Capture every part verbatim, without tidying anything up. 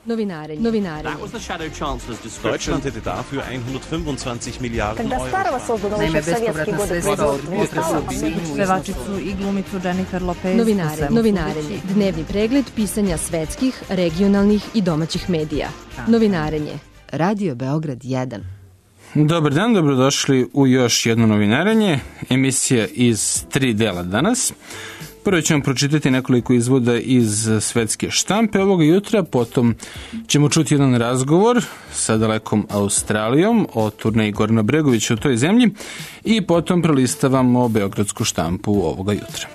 Novinarenje. Novinarenje. That was the Shadow Chancellor's description. Deutschland hätte dafür hundertfünfundzwanzig Miliarden Когда старого создано еще в советские годы производства не стало, pevačicu i glumicu Jennifer Lopez. Novinarenje. Novinarenje. Dnevni pregled pisanja svetskih, regionalnih i domaćih medija. Novinarenje. Radio Beograd jedan. Dobar dan, dobrodošli u još jedno novinarenje, emisija iz tri dela danas. Prvo ćemo pročitati nekoliko izvoda iz svetske štampe ovoga jutra, potom ćemo čuti jedan razgovor sa dalekom Australijom o turneji Gorana Bregovića u toj zemlji i potom prelistavamo beogradsku štampu ovoga jutra.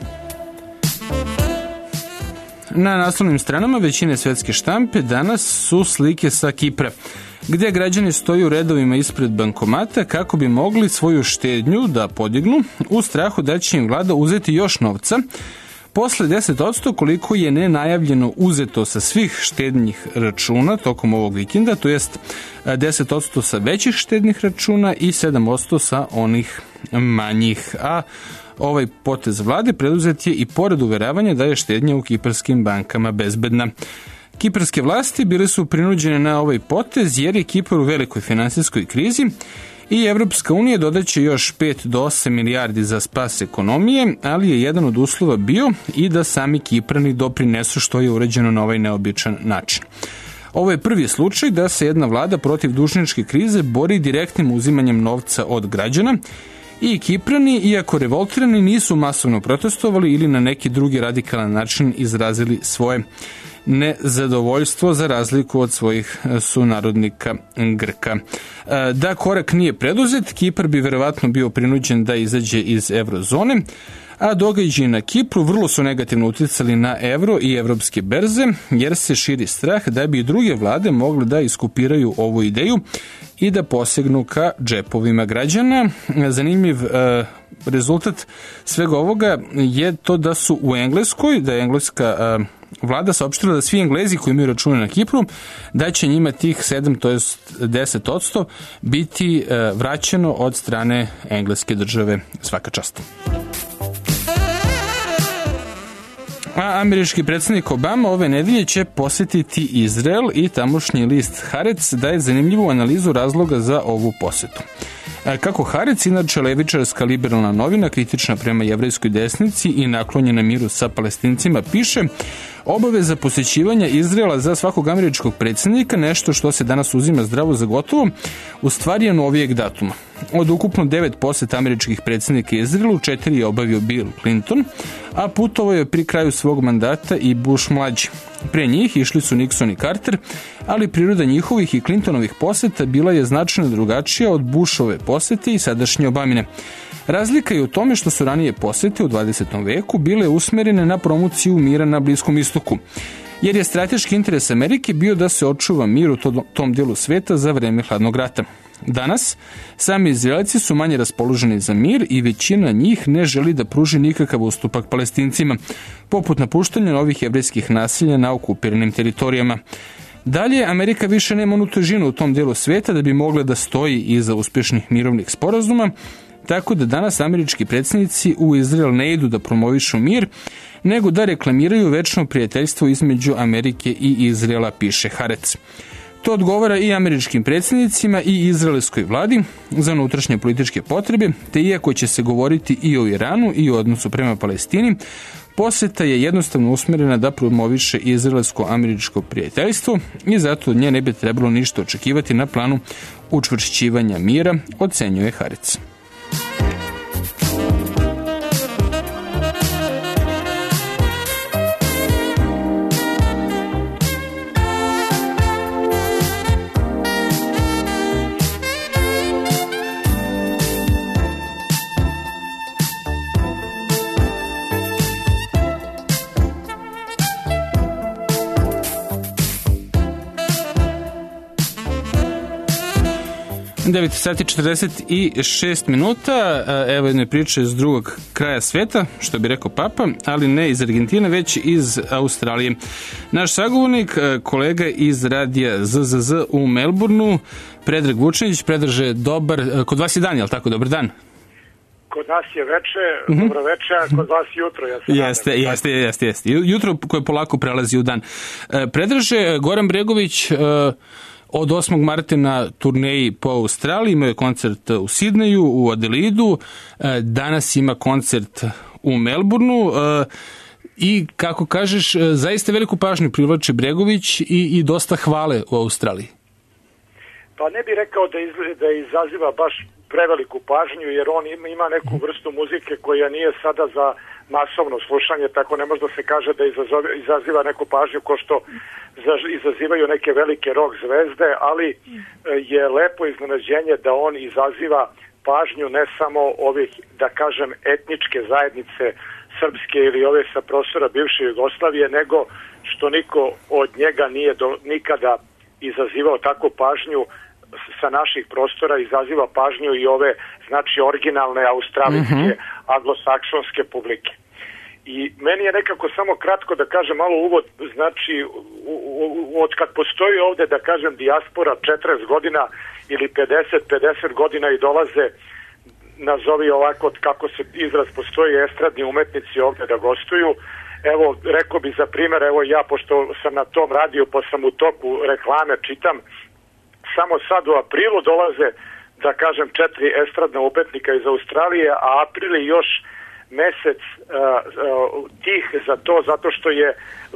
Na naslovnim stranama većine svetske štampe danas su slike sa Kipra, gdje građani stoju u redovima ispred bankomata kako bi mogli svoju štednju da podignu u strahu da će im vlada uzeti još novca posle deset posto koliko je nenajavljeno uzeto sa svih štednjih računa tokom ovog vikenda, to jest deset posto sa većih štednih računa i sedam posto sa onih manjih. A ovaj potez vlade preduzet je i pored uveravanja da je štednja u kiparskim bankama bezbedna. Kiparske vlasti bile su prinuđene na ovaj potez jer je Kipar u velikoj finansijskoj krizi i Evropska unija dodaće još pet do osam milijardi za spas ekonomije, ali je jedan od uslova bio i da sami Kiprani doprinesu što je urađeno na ovaj neobičan način. Ovo je prvi slučaj da se jedna vlada protiv dužničke krize bori direktnim uzimanjem novca od građana i Kiprani, iako revoltirani, nisu masovno protestovali ili na neki drugi radikalan način izrazili svoje nezadovoljstvo za razliku od svojih sunarodnika Grka. Da korak nije preduzet, Kipar bi verovatno bio prinuđen da izađe iz eurozone, a događaji na Kipru vrlo su negativno uticali na evro i evropske berze, jer se širi strah da bi i druge vlade mogle da iskopiraju ovu ideju i da posegnu ka džepovima građana. Zanimljiv uh, rezultat svega ovoga je to da su u Engleskoj, da je engleska uh, vlada saopštila da svi Englezi koji imaju račune na Kipru, da će njima tih sedam, to jest deset posto biti uh, vraćeno od strane engleske države. Svaka čast. A američki predsjednik Obama ove nedelje će posjetiti Izrael i tamošnji list Haaretz daje zanimljivu analizu razloga za ovu posetu. Kako Haaretz, inače levičarska liberalna novina, kritična prema jevrejskoj desnici i naklonjena miru sa Palestincima, piše: obaveza posjećivanja Izraela za svakog američkog predsjednika, nešto što se danas uzima zdravo za gotovo, u stvari je novijeg datuma. Od ukupno devet poseta američkih predsjednika Izraelu, četiri je obavio Bill Clinton, a putovao je pri kraju svog mandata i Bush mlađi. Pre njih išli su Nixon i Carter, ali priroda njihovih i Clintonovih poseta bila je značajno drugačija od Bushove posete i sadašnje Obamine. Razlika je u tome što su ranije posete u dvadesetom veku bile usmerene na promociju mira na Bliskom istoku, jer je strateški interes Amerike bio da se očuva mir u tom dijelu sveta za vreme hladnog rata. Danas, sami Izraelci su manje raspoloženi za mir i većina njih ne želi da pruži nikakav ustupak Palestincima, poput napuštanja novih jevrejskih naselja na okupiranim teritorijama. Dalje, Amerika više nema onu težinu u tom dijelu sveta da bi mogla da stoji iza uspješnih mirovnih sporazuma, tako da danas američki predsjednici u Izrael ne idu da promovišu mir, nego da reklamiraju večno prijateljstvo između Amerike i Izraela, piše Haaretz. To odgovara i američkim predsjednicima i izraelskoj vladi za unutrašnje političke potrebe, te iako će se govoriti i o Iranu i o odnosu prema Palestini, posjeta je jednostavno usmjerena da promoviše izraelsko-američko prijateljstvo i zato od nje ne bi trebalo ništa očekivati na planu učvršćivanja mira, ocenjuje Haaretz. devet sati četrdeset šest minuta, evo jedne priče iz drugog kraja sveta, što bi rekao Papa, ali ne iz Argentine, već iz Australije. Naš sagovornik, kolega iz radija Z Z Z u Melbourneu, Predrag Vučinić. Predraže, dobar, kod vas je dan, je li tako? Dobar dan. Kod nas je veče, mm-hmm. dobro veče, a kod vas jutro. Ja jeste, jeste, jeste, jeste. Jutro koje polako prelazi u dan. Predraže, Goran Bregović od osmog marta na turneji po Australiji, imao je koncert u Sidneju, u Adelaidu, danas ima koncert u Melbourneu i, kako kažeš, zaista veliku pažnju privlači Bregović i, i dosta hvale u Australiji. Pa ne bih rekao da, iz, da izaziva baš preveliku pažnju, jer on ima neku vrstu muzike koja nije sada za masovno slušanje, tako ne može da se kaže da izazove, izaziva neku pažnju ko što izazivaju neke velike rock zvezde, ali je lepo iznenađenje da on izaziva pažnju ne samo ovih, da kažem, etničke zajednice srpske ili ove sa prostora bivše Jugoslavije, nego što niko od njega nije do, nikada izazivao takvu pažnju sa naših prostora, izaziva pažnju i ove, znači, originalne australijske, mm-hmm. anglosaksonske publike. I meni je nekako samo kratko da kažem malo uvod, znači, u, u, od kad postoji ovde, da kažem, dijaspora četrdeset godina ili pedeset, pedeset godina i dolaze, nazovi ovako kako se izraz postoji, estradni umetnici ovde da gostuju. Evo, rekao bi za primjer, evo ja, pošto sam na tom radiju, pa sam u toku reklame, čitam, samo sad u aprilu dolaze, da kažem, četiri estradna umetnika iz Australije, a april je još mesec uh, uh, tih za to, zato što je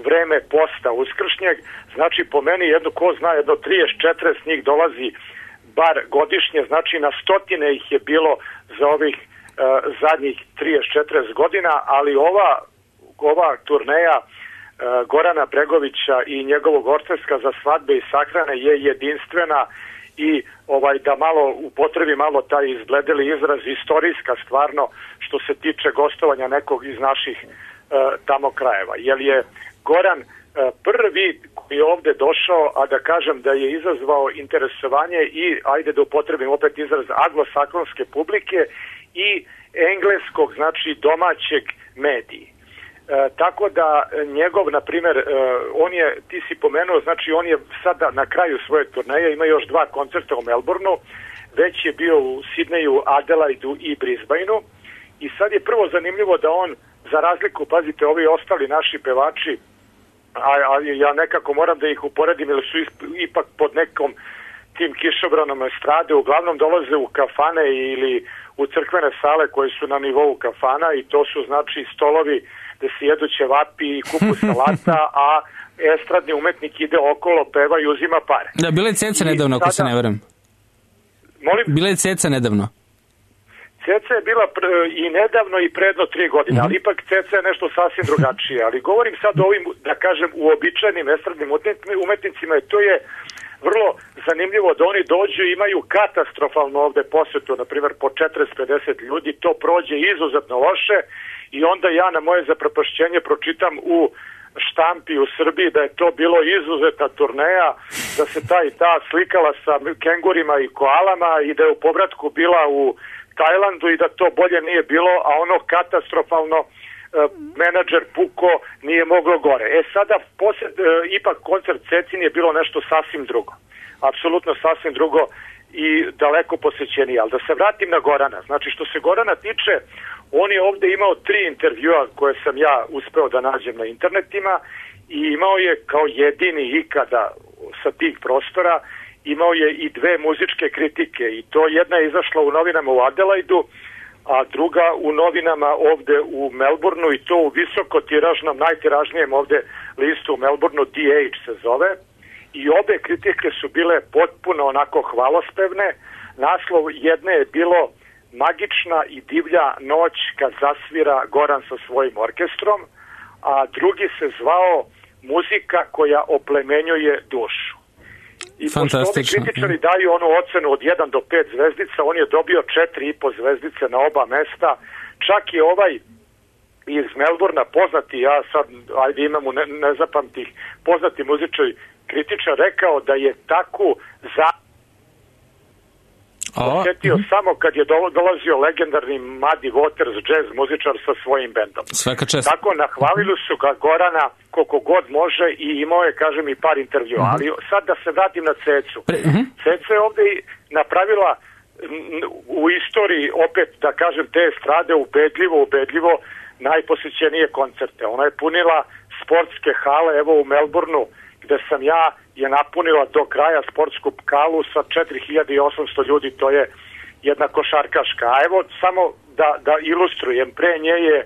vreme posta uskršnjeg. Znači, po meni, jedno, ko zna, jedno trideset četrdeset njih dolazi bar godišnje, znači na stotine ih je bilo za ovih uh, zadnjih trideset četrdeset godina, ali ova, ova turneja Gorana Bregovića i njegovog orkestra za svadbe i sahrane je jedinstvena i ovaj da malo upotrebi malo taj izbledeli izraz, istorijska stvarno što se tiče gostovanja nekog iz naših uh, tamo krajeva. Jer je Goran uh, prvi koji je ovde došao, a da kažem da je izazvao interesovanje i, ajde da upotrebim opet izraz, anglosaksonske publike i engleskog, znači domaćeg mediji. E, tako da njegov, na primjer, e, on je, ti si pomenuo, znači on je sada na kraju svoje turneje, ima još dva koncerta u Melbourneu, već je bio u Sidneju, Adelaidu i Brisbaneu i sad je prvo zanimljivo da on, za razliku, pazite, ovi ostali naši pevači, a, a ja nekako moram da ih uporedim, jer su ipak pod nekom tim kišobranom estrade, uglavnom dolaze u kafane ili u crkvene sale koje su na nivou kafana i to su, znači, stolovi da se jedu ćevapi i kupu salata, a estradni umetnik ide okolo, peva i uzima pare. Da, bila je Ceca nedavno, ako se ne varam. Molim? Bila je Ceca nedavno. Ceca je bila pr i nedavno i predno tri godine, mm-hmm. ali ipak Ceca je nešto sasvim drugačije. Ali govorim sad o ovim, da kažem, uobičajenim estradnim umetnicima i to je vrlo zanimljivo da oni dođu i imaju katastrofalno ovde posvetu, na primjer po četrdeset pedeset ljudi, to prođe izuzetno loše i onda ja na moje zaprepašćenje pročitam u štampi u Srbiji da je to bilo izuzetna turneja, da se ta i ta slikala sa kengurima i koalama i da je u povratku bila u Tajlandu i da to bolje nije bilo, a ono katastrofalno e, menadžer puko nije moglo gore. E sada, posled, e, ipak koncert Cecin je bilo nešto sasvim drugo. Apsolutno sasvim drugo i daleko posvećenije. Ali da se vratim na Gorana. Znači, što se Gorana tiče, on je ovde imao tri intervjua koje sam ja uspeo da nađem na internetima i imao je kao jedini ikada sa tih prostora, imao je i dve muzičke kritike i to jedna je izašla u novinama u Adelaidu, a druga u novinama ovde u Melbourneu i to u visoko tiražnom, najtiražnijem ovde listu u Melbourneu, D H se zove, i obe kritike su bile potpuno onako hvalospevne. Naslov jedne je bilo Magična i divlja noć kad zasvira Goran sa svojim orkestrom, a drugi se zvao Muzika koja oplemenjuje dušu. I pošto ovi kritičari daju onu ocenu od jedan do pet zvezdica, on je dobio četiri i po zvezdice na oba mesta. Čak i ovaj iz Melbournea, poznati, ja sad, ajde imam ne, nezapamtih, poznati muzičar kritičar rekao da je takvu za... osjetio samo kad je dolazio legendarni Muddy Waters jazz muzičar sa svojim bendom. Svaka čast. Tako nahvalili su ga Gorana koliko god može i imao je, kažem, i par intervjua. Uh-huh. Ali sad da se vratim na Cecu. Pre, uh-huh. Ceca je ovde napravila u istoriji, opet da kažem, te estrade ubedljivo, ubedljivo najposjećenije koncerte. Ona je punila sportske hale, evo u Melbourneu, gde sam ja je napunila do kraja sportsku halu sa četiri hiljade osamsto ljudi, to je jedna košarkaška. A evo samo da, da ilustrujem, pre nje je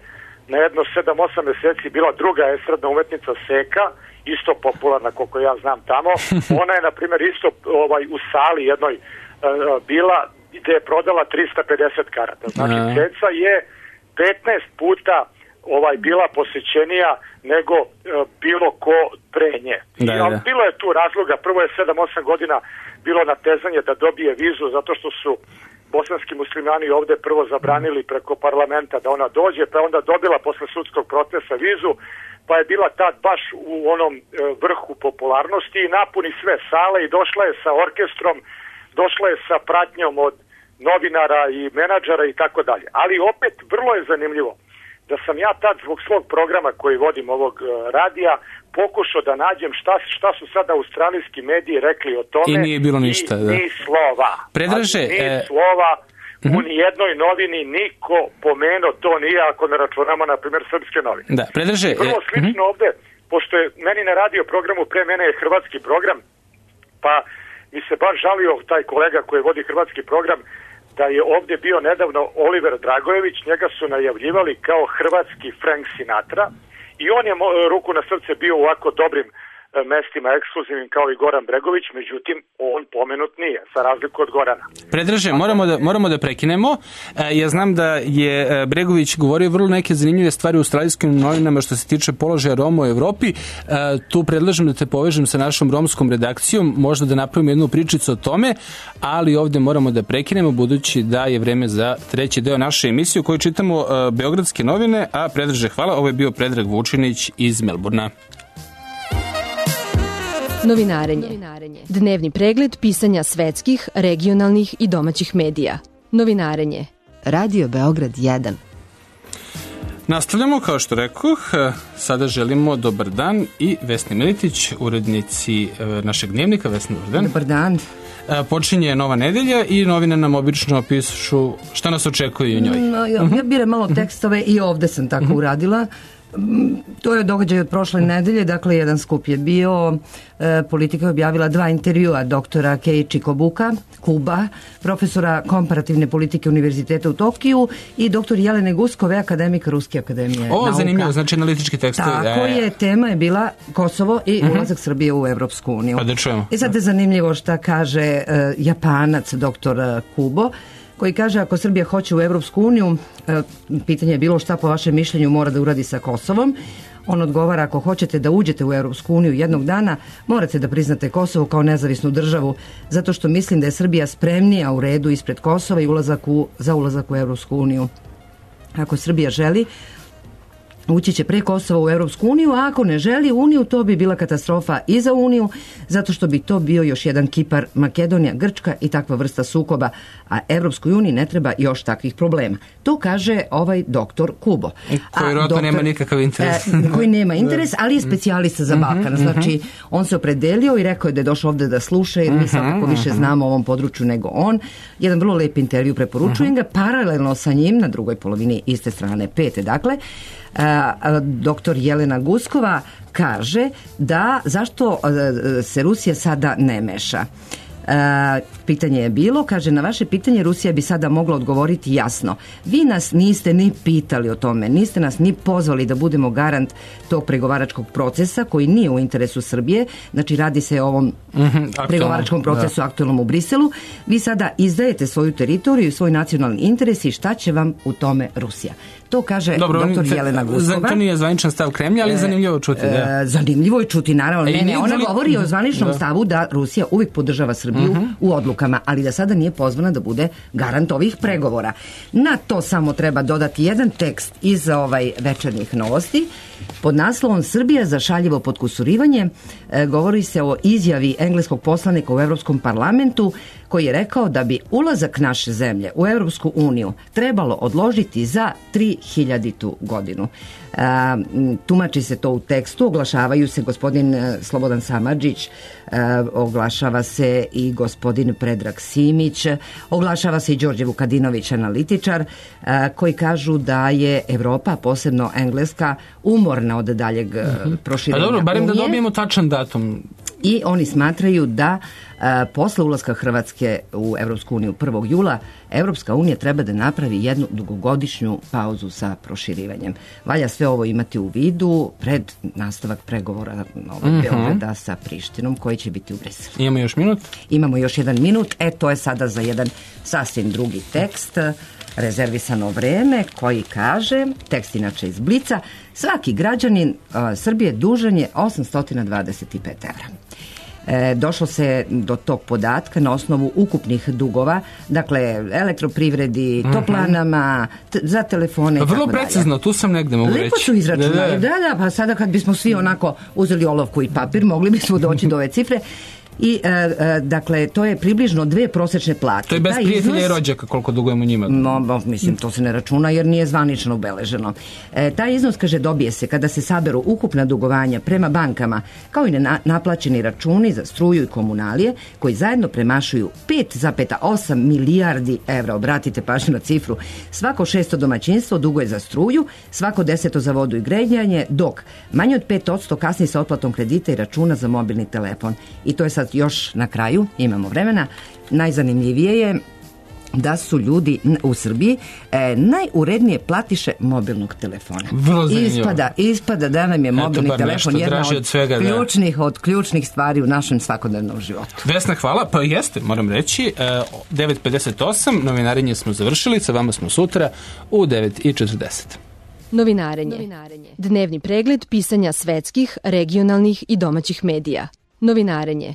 na jedno sedam osam meseci bila druga estradna umetnica Seka, isto popularna koliko ja znam tamo. Ona je na primjer isto ovaj, u sali jednoj uh, bila gde je prodala trista pedeset karata. Znači Ceca je petnaest puta ovaj bila posjećenija nego uh, bilo ko pre nje. Da, da. Bilo je tu razloga, prvo je sedam osam godina bilo natezanje da dobije vizu zato što su bosanski muslimani ovde prvo zabranili preko parlamenta da ona dođe, pa onda dobila posle sudskog procesa vizu, pa je bila tad baš u onom e, vrhu popularnosti i napuni sve sale i došla je sa orkestrom, došla je sa pratnjom od novinara i menadžera i tako dalje. Ali opet vrlo je zanimljivo da sam ja tad zbog svog programa koji vodim ovog e, radija pokušao da nađem šta, šta su sada australijski mediji rekli o tome. I nije bilo ništa. I, da. ni slova. Predraže, ni e... slova uh-huh. u nijednoj novini niko pomenuo to nije, ako ne računamo, na primjer, srpske novine. Da, Predraže... Vrlo slično uh-huh. ovde, pošto je meni na radio programu, pre mene je hrvatski program, pa mi se baš žalio taj kolega koji vodi hrvatski program, da je ovdje bio nedavno Oliver Dragojević, njega su najavljivali kao hrvatski Frank Sinatra i on je ruku na srce bio u ovako dobrim mestima ekskluzivnim kao i Goran Bregović, međutim on pomenut nije, za razliku od Gorana. Predraže, moramo da, moramo da prekinemo. Ja znam da je Bregović govorio vrlo neke zanimljive stvari u australijskim novinama što se tiče položaja Roma u Evropi. Tu predlažem da te povežem sa našom romskom redakcijom, možda da napravimo jednu pričicu o tome, ali ovde moramo da prekinemo budući da je vreme za treći deo naše emisije u kojoj čitamo Beogradske novine, a Predraže, hvala. Ovo je bio Predrag Vučinić iz Melburna. Novinarenje. Dnevni pregled pisanja svetskih, regionalnih i domaćih medija. Novinarenje. Radio Beograd jedan. Nastavljamo, kao što rekoh, sada želimo dobar dan i Vesni Militić, urednici našeg dnevnika. Vesni, dobar dan. Dobar dan. Počinje nova nedelja i novine nam obično pišu šta nas očekuje u njoj. No, ja, ja biram malo tekstove i ovde sam tako uh-huh. uradila. To je događaj od prošle nedelje, dakle jedan skup je bio, e, Politika je objavila dva intervjua doktora Keiichi Kobuka, Kuba, profesora komparativne politike Univerziteta u Tokiju i doktor Jelene Guskove, akademika Ruske akademije o, nauka. Zanimljivo, znači analitički tekstovi. Tako je, tema je bila Kosovo i uh-huh. ulazak Srbije u Evropsku uniju. Pa da čujemo. I sad je zanimljivo šta kaže e, Japanac doktor Kubo, koji kaže ako Srbija hoće u Evropsku uniju, pitanje je bilo šta po vašem mišljenju mora da uradi sa Kosovom. On odgovara ako hoćete da uđete u Evropsku uniju jednog dana, morate da priznate Kosovo kao nezavisnu državu, zato što mislim da je Srbija spremnija u redu ispred Kosova i ulazak u, za ulazak u Evropsku uniju. Ako Srbija želi, ući će pre Kosova u Evropsku uniju, a ako ne želi uniju, to bi bila katastrofa i za uniju, zato što bi to bio još jedan Kipar, Makedonija, Grčka i takva vrsta sukoba, a Evropskoj uniji ne treba još takvih problema. To kaže ovaj doktor Kubo. Koji rodno nema nikakav interes. E, koji nema interes, ali je specijalista za Balkan. Znači, on se opredelio i rekao je da je došao ovde da sluša, jer mi svakako više znamo o ovom području nego on. Jedan vrlo lep intervju, preporučujem ga, paralelno sa njim, na drugoj polovini iste strane pete, dakle, doktor Jelena Guskova kaže da zašto se Rusija sada ne meša. E, pitanje je bilo, kaže, na vaše pitanje Rusija bi sada mogla odgovoriti jasno. Vi nas niste ni pitali o tome, niste nas ni pozvali da budemo garant tog pregovaračkog procesa koji nije u interesu Srbije, znači radi se o ovom mm-hmm, pregovaračkom procesu da. aktualnom u Briselu. Vi sada izdajete svoju teritoriju i svoj nacionalni interes i šta će vam u tome Rusija? To kaže Dobro, doktor Jelena Guskova. To nije zvaničan stav Kremlja, ali zanimljivo čuti. Da. E, zanimljivo je čuti, naravno. Ne, ne, ona voli... govori o zvaničnom da. stavu da Rusija uvijek podržava Srbiju uh-huh. u odlukama, ali da sada nije pozvana da bude garant ovih pregovora. Na to samo treba dodati jedan tekst iz ovaj večernjih novosti. Pod naslovom Srbija za šaljivo potkusurivanje e, govori se o izjavi engleskog poslanika u Evropskom parlamentu koji je rekao da bi ulazak naše zemlje u Evropsku uniju trebalo odložiti za tri hiljaditu godinu. A, tumači se to u tekstu, oglašavaju se gospodin Slobodan Samardžić, a, oglašava se i gospodin Predrag Simić, oglašava se i Đorđe Vukadinović, analitičar, a, koji kažu da je Evropa, posebno Engleska, umorna od daljeg uh-huh. proširenja. Pa dobro, barem Unije. Da dobijemo tačan datum. I oni smatraju da a, posle ulaska Hrvatske u Evropsku uniju prvog jula Evropska unija treba da napravi jednu dugogodišnju pauzu sa proširivanjem. Valja sve ovo imati u vidu pred nastavak pregovora Novog uh-huh. Beograda sa Prištinom koji će biti u Briselu. Imamo još minut? Imamo još jedan minut. E, to je sada za jedan sasvim drugi tekst. Rezervisano vreme koji kaže, tekst inače iz Blica, svaki građanin a, Srbije dužan je osamsto dvadeset pet evra. E, došlo se do tog podatka na osnovu ukupnih dugova, dakle elektroprivredi, mm-hmm. toplanama, t- za telefone i tako dalje. Vrlo precizno, tu sam negde mogu reći. Lepo su izračunali, da, da. da, da, pa sada kad bismo svi onako uzeli olovku i papir, mogli bismo doći do ove cifre. I, e, e, dakle, to je približno dve prosečne plate. To je bez Taj prijatelja iznos, i rođaka koliko dugujemo njima. No, no, mislim, to se ne računa jer nije zvanično ubeleženo. E, taj iznos, kaže, dobije se kada se saberu ukupna dugovanja prema bankama, kao i na, naplaćeni računi za struju i komunalije, koji zajedno premašuju pet zarez osam milijardi evra. Obratite pažnju na cifru. Svako šesto domaćinstvo duguje za struju, svako deseto za vodu i grejanje, dok manje od pet posto kasni sa otplatom kredita i računa za mobilni telefon. I to je sad još na kraju, imamo vremena, najzanimljivije je da su ljudi u Srbiji e, najurednije platiše mobilnog telefona. Ispada, ispada da nam je mobilni Eto, telefon jedna od, od svega, ključnih, od ključnih stvari u našem svakodnevnom životu. Vesna, hvala. Pa jeste, moram reći, devet pedeset osam, novinarenje smo završili, sa vama smo sutra u devet i četrdeset. Novinarenje. Novinarenje. Dnevni pregled pisanja svetskih, regionalnih i domaćih medija. Novinarenje.